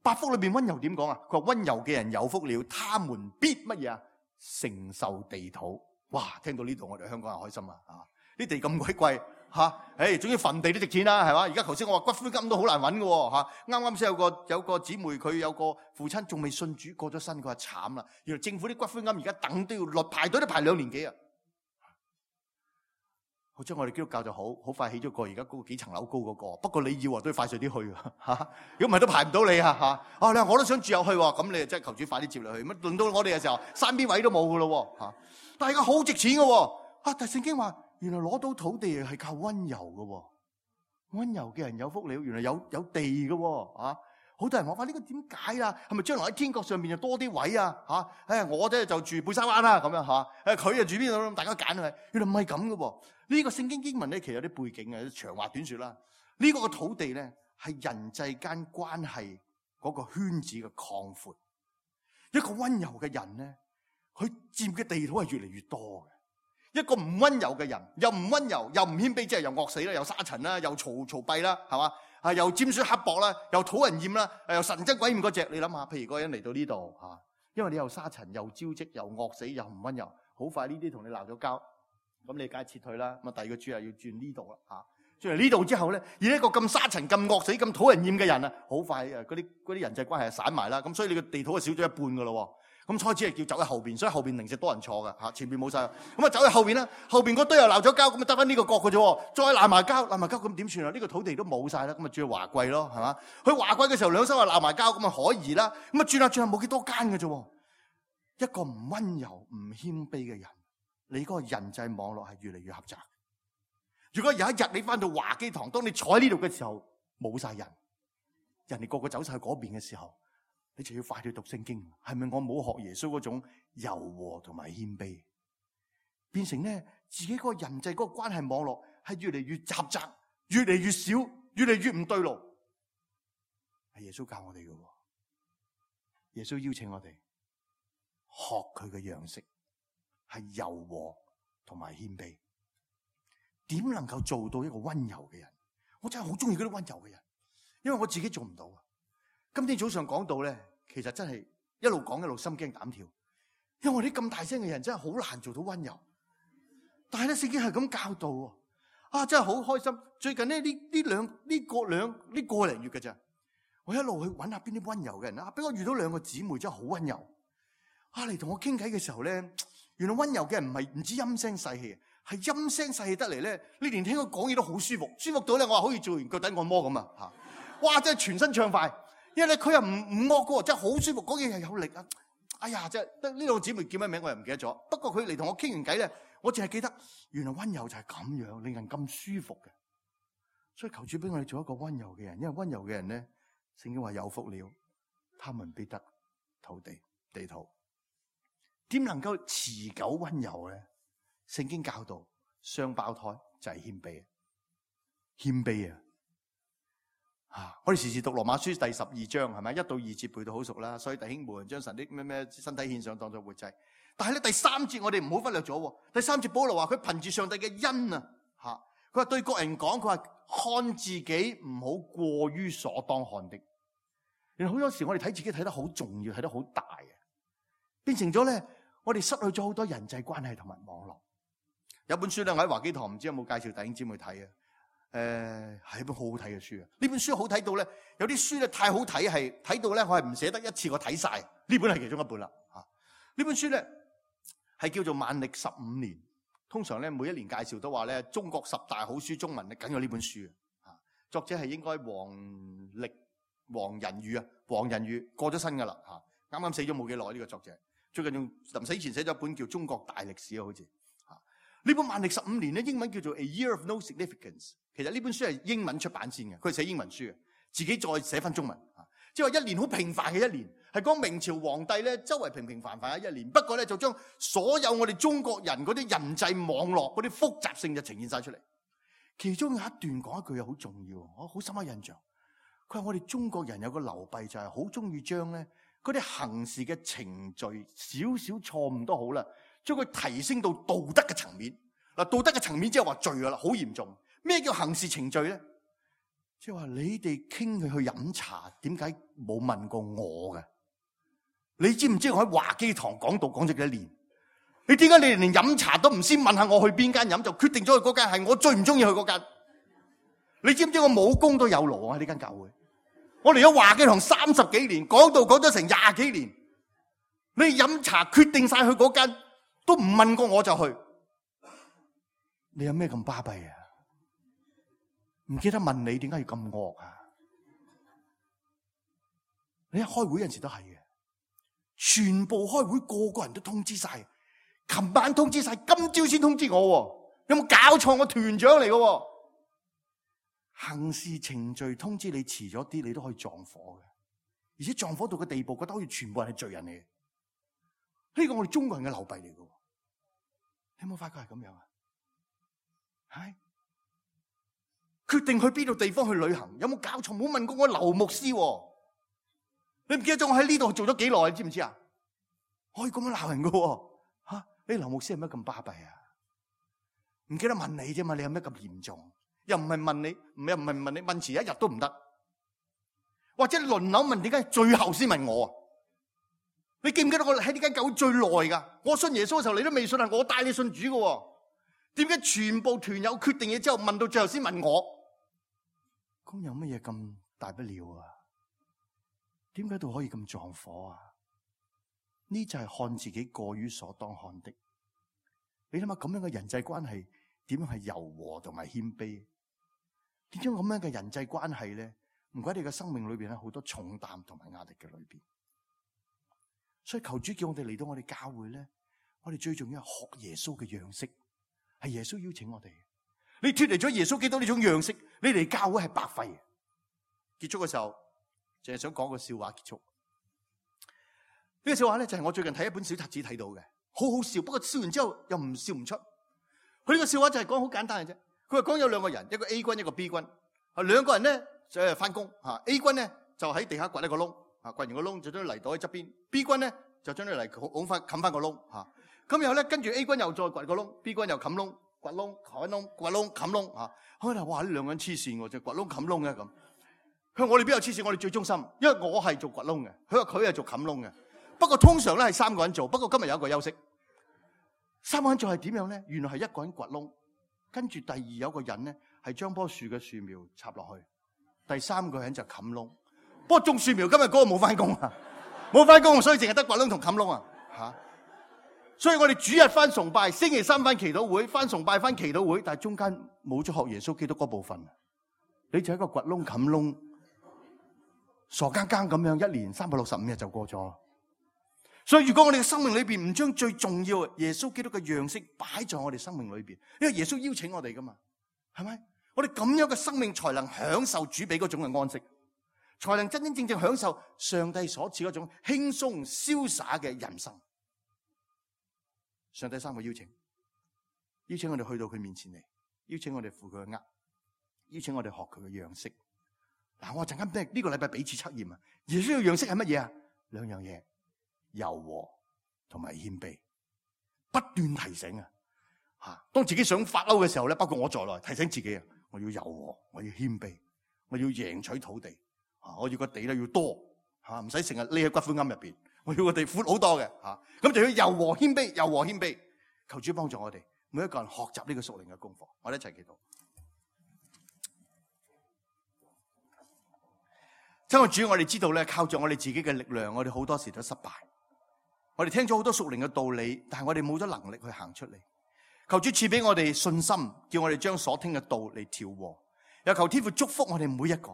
[SPEAKER 2] 8福裏邊溫柔點講啊？佢話溫柔嘅人有福了，他們必乜嘢啊？承受地土。哇！聽到呢度我哋香港人開心啊！啲地咁鬼貴吓，總之墳地都值錢啦，係嘛？而家頭先我話骨灰金都好難揾嘅吓。啱啱先有個姊妹，佢有個父親仲未信主過咗身，佢話慘啦。原來政府啲骨灰金而家等都要排隊都排2年幾啊！好似我哋基督教就好快起咗個而家嗰個幾層樓高嗰個，不過你要都要快脆啲去吓，如果唔係都排唔到你啊吓。你話我都想住入去，咁你真係求主快啲接落去。乜輪到我哋嘅時候，山邊位都冇噶咯吓。但係而家好值錢嘅，但係聖經話原來攞到土地係靠溫柔嘅，溫柔嘅人有福了。原來有地嘅吓。好多人話呢個點解啊？係咪將來喺天國上面就多啲位啊？我咧就住貝沙灣啦咁樣吓。佢就住邊度咁，大家揀係。原來唔係咁嘅。呢個聖經經文咧，其實有啲背景嘅，長話短說啦。呢個土地咧係人際間關係嗰個圈子嘅擴闊。一個溫柔嘅人咧，佢佔嘅地土係越嚟越多嘅。一個唔溫柔嘅人，又唔溫柔又唔謙卑，即係又惡死啦，又沙塵啦，又嘈閉啦，係嘛？又尖酸刻薄啦，又討人厭啦，又神憎鬼厭嗰隻。你諗下，譬如嗰個人嚟到呢度吓，因為你又沙塵又招積又惡死又唔溫柔，好快呢啲同你鬧咗交。咁你梗係撤退啦。咁第二個主要要轉呢度啦嚇，轉嚟呢度之後咧，而一個咁沙塵、咁惡死、咁討人厭嘅人啊，好快嗰啲人際關係就散埋啦。咁所以你個地土就少咗一半噶咯。咁開始係叫走喺後邊，所以後邊零舍多人坐嘅嚇，前邊冇晒。咁啊走喺後邊啦，後邊嗰堆又鬧咗交，咁啊得翻呢個角嘅啫。再鬧埋交咁點算啊？呢個土地都冇晒啦，咁啊轉去華貴咯，係嘛？去華貴嘅時候兩手又鬧埋交，咁啊可疑啦。咁啊轉下冇幾多間嘅啫。一個唔溫柔、唔謙卑嘅人，你嗰個人際網絡係越嚟越狹窄。如果有一日你翻到華基堂，當你坐喺呢度嘅時候冇晒人，人哋個個走晒去嗰邊嘅時候，你就要快啲讀聖經。係咪我冇學耶穌嗰種柔和同埋謙卑，變成咧自己嗰個人際嗰個關係網絡係越嚟越狹窄，越嚟越少，越嚟越唔對路。係耶穌教我哋嘅，耶穌邀請我哋學佢嘅樣式，係柔和同埋謙卑。點能夠做到一個溫柔嘅人？我真係好中意嗰啲溫柔嘅人，因為我自己做唔到啊。今天早上講到咧，其實真係一路講一路心驚膽跳，因為我哋咁大聲嘅人真係好難做到溫柔。但係咧，聖經係咁教導啊，真係好開心。最近咧呢個零月嘅咋，我一路去揾下邊啲溫柔嘅人啊，俾我遇到2個姊妹真係好溫柔啊，嚟同我傾偈嘅時候咧，原來溫柔嘅人唔止陰聲細氣，係陰聲細氣得嚟咧，你連聽佢講嘢都好舒服，舒服到咧我話好似做完腳底按摩咁啊！哇，真係全身暢快。因為咧佢又唔惡嘅，真係好舒服，講嘢又有力啊！哎呀，真係得呢兩個姊妹叫咩名我又唔記得咗。不過佢嚟同我傾完偈咧，我淨係記得原來溫柔就係咁樣，令人咁舒服嘅。所以求主俾我哋做一個溫柔嘅人，因為溫柔嘅人咧，聖經話有福了，他們必得地土。點能夠持久溫柔咧？聖經教導雙胞胎就係謙卑，謙卑啊！我哋時時讀羅馬書第12章係咪？1到2節背到好熟啦。所以弟兄們將神的咩身體獻上當作活祭。但係咧第3節我哋唔好忽略咗。第3節保羅話佢憑住上帝嘅恩啊，佢話對各人講，佢話看自己唔好過於所當看的。原來好多時我哋睇自己睇得好重要，睇得好大嘅，變成咗咧我哋失去咗好多人際關係同埋網絡。有本書咧我喺華基堂唔知有冇介紹弟兄姊妹睇啊？係一本好好睇嘅書啊！呢本書好睇到咧，有啲書咧太好睇，係睇到咧我係唔捨得一次過睇晒。呢本係其中一本啦。呢本書咧係叫做《萬曆15年》，通常咧每一年介紹都話咧中國10大好書中文咧梗有呢本書啊。作者係應該黃仁宇啊，黃仁宇過咗身噶啦啱啱死咗冇幾耐呢個作者，最近仲臨死前寫咗一本叫《中國大歷史》啊，好似呢本《萬曆15年》咧英文叫做《A Year of No Significance》。其實呢本書係英文出版先嘅，佢係寫英文書嘅，自己再寫翻中文。即係話一年好平凡嘅一年，係講明朝皇帝咧周圍平平凡凡嘅一年，不過咧就將所有我哋中國人嗰啲人際網絡嗰啲複雜性就呈現晒出嚟。其中有一段講一句嘢好重要，我好深刻印象。佢話我哋中國人有個流弊就係好中意將咧嗰啲行事嘅程序少少錯誤都好啦，將佢提升到道德嘅層面。嗱，道德嘅層面即係話罪噶啦，好嚴重。咩叫行事程序咧？即係話你哋傾佢去飲茶，點解冇問過我嘅？你知唔知我喺華基堂講道講咗幾多年？你點解你哋連飲茶都唔先問下我去邊間飲，就決定咗去嗰間係我最唔中意去嗰間？你知唔知我武功都有勞啊？呢間教會，我嚟咗華基堂30幾年，講道講咗成20幾年，你飲茶決定晒去嗰間，都唔問過我就去。你有咩咁巴閉啊？唔記得問你點解要咁惡啊？你一開會有陣時都係嘅，全部開會個個人都通知晒，琴晚通知晒，今朝先通知我，有冇搞錯？我團長嚟嘅，行事程序通知你遲咗啲，你都可以撞火嘅，而且撞火到個地步，覺得好似全部人係罪人嚟嘅。呢個我哋中國人嘅流弊嚟嘅，你有冇發覺係咁樣啊？係。決定去邊度地方去旅行，有冇搞錯？冇問過我劉牧師，你唔記得咗我喺呢度做咗幾耐？你知唔知啊？可以咁樣鬧人㗎吓？你劉牧師係咩咁巴閉啊？唔記得問你啫嘛？你有咩咁嚴重？又唔係問你，又唔係問你，問遲一日都唔得，或者輪流問，點解最後先問我啊？你記唔記得我喺呢間教會最耐噶？我信耶穌嘅時候，你都未信啊！我帶你信主㗎，點解全部團友決定嘢之後，問到最後先問我？咁有乜嘢咁大不了啊？點解都可以咁撞火啊？呢就係看自己過於所當看的。你諗下咁樣嘅人際關係點樣係柔和同埋謙卑？點樣咁樣嘅人際關係咧？唔怪你嘅生命裏邊咧好多重擔同埋壓力嘅裏邊。所以求主叫我哋嚟到我哋教會咧，我哋最重要係學耶穌嘅樣式，係耶穌邀請我哋。你脫離咗耶穌基督呢種樣式，你嚟教會係白費嘅。結束嘅時候，淨係想講個笑話結束。呢個笑話咧就係我最近睇一本小冊子睇到嘅，好好笑。不過笑完之後又唔笑唔出。佢呢個笑話就係講好簡單嘅啫。佢話講有兩個人，一個 A 君一個 B 君。兩個人咧就係翻工。A 君咧就喺地下掘一個窿，掘完個窿就將啲泥倒喺側邊。B 君咧就將啲泥拱翻冚翻個窿。咁然後咧跟住 A 君又再掘個窿 ，B 君又冚窿。掘窿、開窿、掘窿、冚窿嚇，開頭哇！呢兩個人黐線喎，就掘窿冚窿嘅咁。佢話我哋邊有黐線？我哋最忠心，因為我係做掘窿嘅，佢話佢係做冚窿嘅。不過通常咧係3個人做，不過今日有一個休息。3個人做係點樣咧？原來係一個人掘窿，跟住第二有個人咧係將棵樹嘅樹苗插落去，第3個人就冚窿。不過種樹苗今日嗰個冇翻工啊，冇翻工，所以淨係得掘窿同冚窿啊嚇。所以我哋主日翻崇拜，星期3翻祈禱會，翻崇拜翻祈禱會，但係中間冇咗學耶穌基督嗰部分，你就係一個掘窿冚窿。傻更更咁樣，1年365日就過咗。所以如果我哋嘅生命裏邊唔將最重要耶穌基督嘅樣式擺在我哋生命裏邊，因為耶穌邀請我哋噶嘛，係咪？我哋咁樣嘅生命才能享受主俾嗰種嘅安息，才能真真正正享受上帝所賜嗰種輕鬆瀟灑嘅人生。上帝3個邀請我哋去到佢面前嚟，邀請我哋負佢嘅軛，邀請我哋學佢嘅樣式。嗱，我陣間呢個禮拜彼此測驗啊，耶穌嘅樣式係乜嘢啊？2樣嘢。柔和同埋謙卑，不斷提醒啊！當自己想發嬲嘅時候咧，包括我在內，提醒自己啊，我要柔和，我要謙卑，我要贏取土地，我要個地咧要多，唔使成日匿喺骨灰龕入邊，我要個地闊好多嘅，咁就要柔和謙卑，柔和謙卑。求主幫助我哋每一個人學習呢個屬靈嘅功課，我哋一齊祈禱。親愛主，我哋知道咧，靠住我哋自己嘅力量，我哋好多時都失敗。我哋聽咗好多屬靈嘅道理，但係我哋冇咗能力去行出嚟。求主賜俾我哋信心，叫我哋將所聽嘅道嚟調和。又求天父祝福我哋每一個，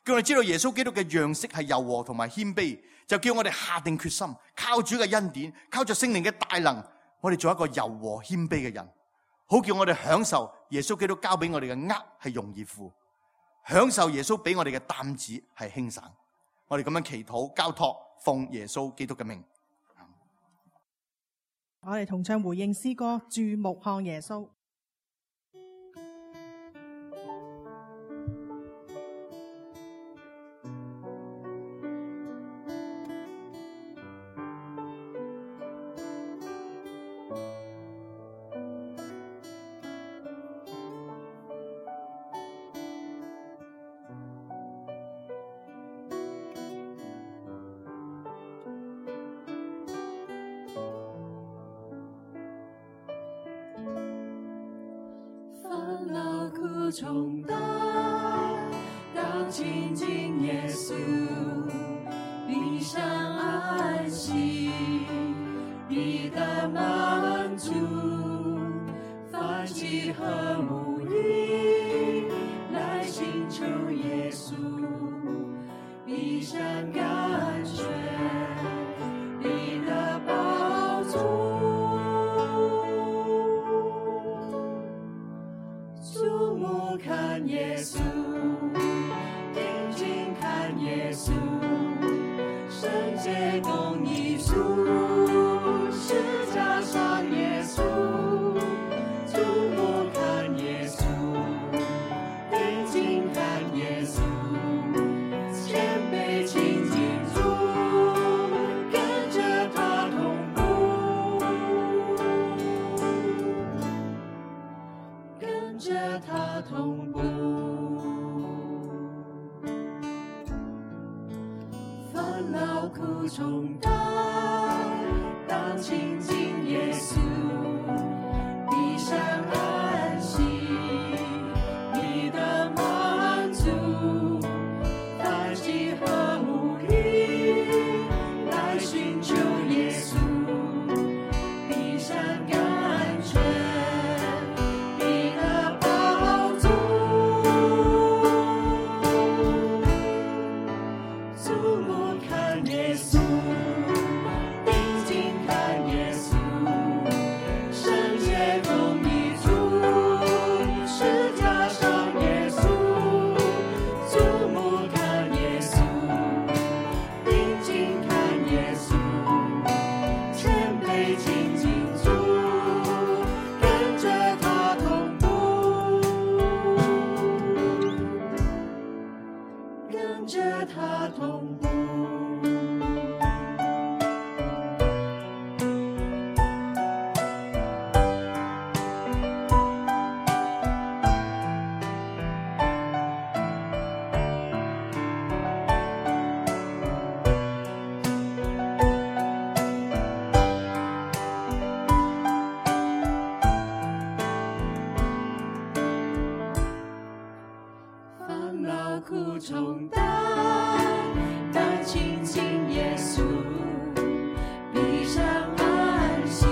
[SPEAKER 2] 叫我哋知道耶穌基督嘅樣式係柔和同埋謙卑，就叫我哋下定決心，靠主嘅恩典，靠着聖靈嘅大能，我哋做一個柔和謙卑嘅人，好叫我哋享受耶穌基督交俾我哋嘅軛係容易負，享受耶穌俾我哋嘅擔子係輕省。我哋咁樣祈禱交託，奉耶穌基督嘅名。
[SPEAKER 3] 我哋同唱回應詩歌，注目看耶穌。
[SPEAKER 4] 重擔，當親近耶穌，必上安息，必得滿足，凡祭和沐浴，來尋求耶穌，必上甘泉，必得飽足。看耶穌，定睛看耶穌，聖潔公義主，十架上耶穌，注目看耶穌，定睛看耶穌，謙卑親近主，跟着他同步，跟着他同步。勞苦重擔，當親近耶穌，必上安息，必得滿足，凡祭和沐浴，來尋求耶穌，必上甘泉，必得飽足。注目看耶穌，定睛看耶穌，聖潔公義主，十架上耶穌。注目看耶穌，定睛看耶穌，謙卑親近主，跟着他同步，跟着他同步。凡勞苦重擔，當親近耶穌，必上安息，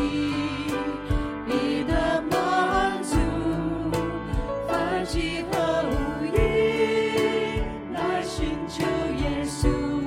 [SPEAKER 4] 必得滿足，凡祭和沐浴，來尋求耶穌。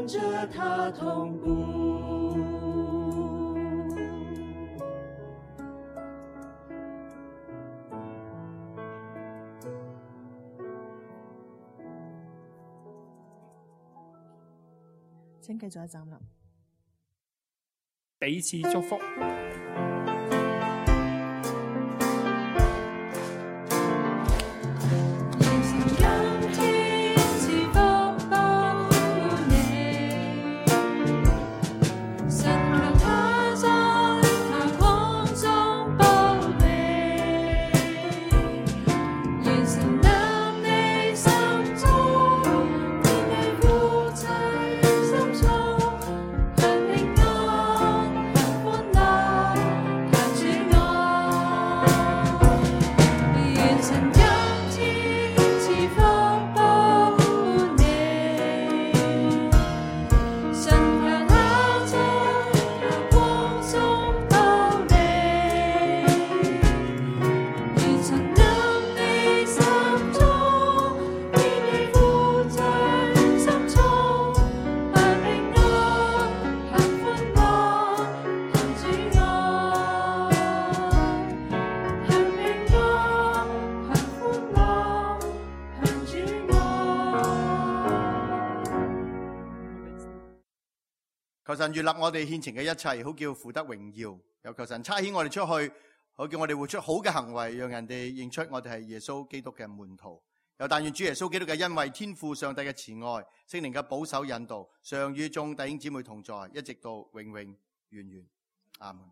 [SPEAKER 4] 跟着他同步。
[SPEAKER 3] 請繼續一站立。
[SPEAKER 5] 彼此祝福。
[SPEAKER 2] 求神悅納我哋獻呈嘅一切，好叫父得榮耀。又求神差遣我哋出去，好叫我哋活出好嘅行為，讓人哋認出我哋係耶穌基督嘅門徒。又但願主耶穌基督嘅恩惠、天父上帝嘅慈愛、聖靈嘅保守引導，常與眾弟兄姊妹同在，一直到永永遠遠。阿門。